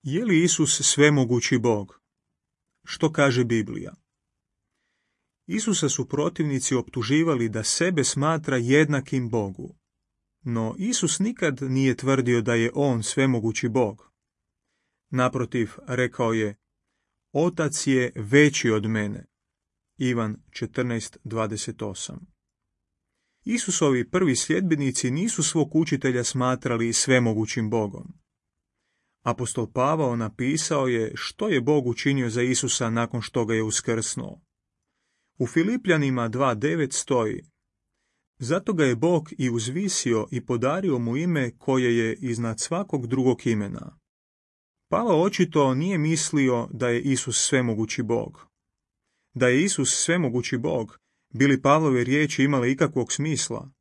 Je li Isus svemogući Bog? Što kaže Biblija? Isusa su protivnici optuživali da sebe smatra jednakim Bogu. No Isus nikad nije tvrdio da je on svemogući Bog. Naprotiv, rekao je: Otac je veći od mene. Ivan 14:28. Isusovi prvi sljedbenici nisu svog učitelja smatrali svemogućim Bogom. Apostol Pavao napisao je što je Bog učinio za Isusa nakon što ga je uskrsnuo. U Filipljanima 2:9 stoji: Zato ga je Bog i uzvisio i podario mu ime koje je iznad svakog drugog imena. Pavao očito nije mislio da je Isus svemogući Bog. Da je Isus svemogući Bog, bi li Pavlove riječi imale ikakvog smisla?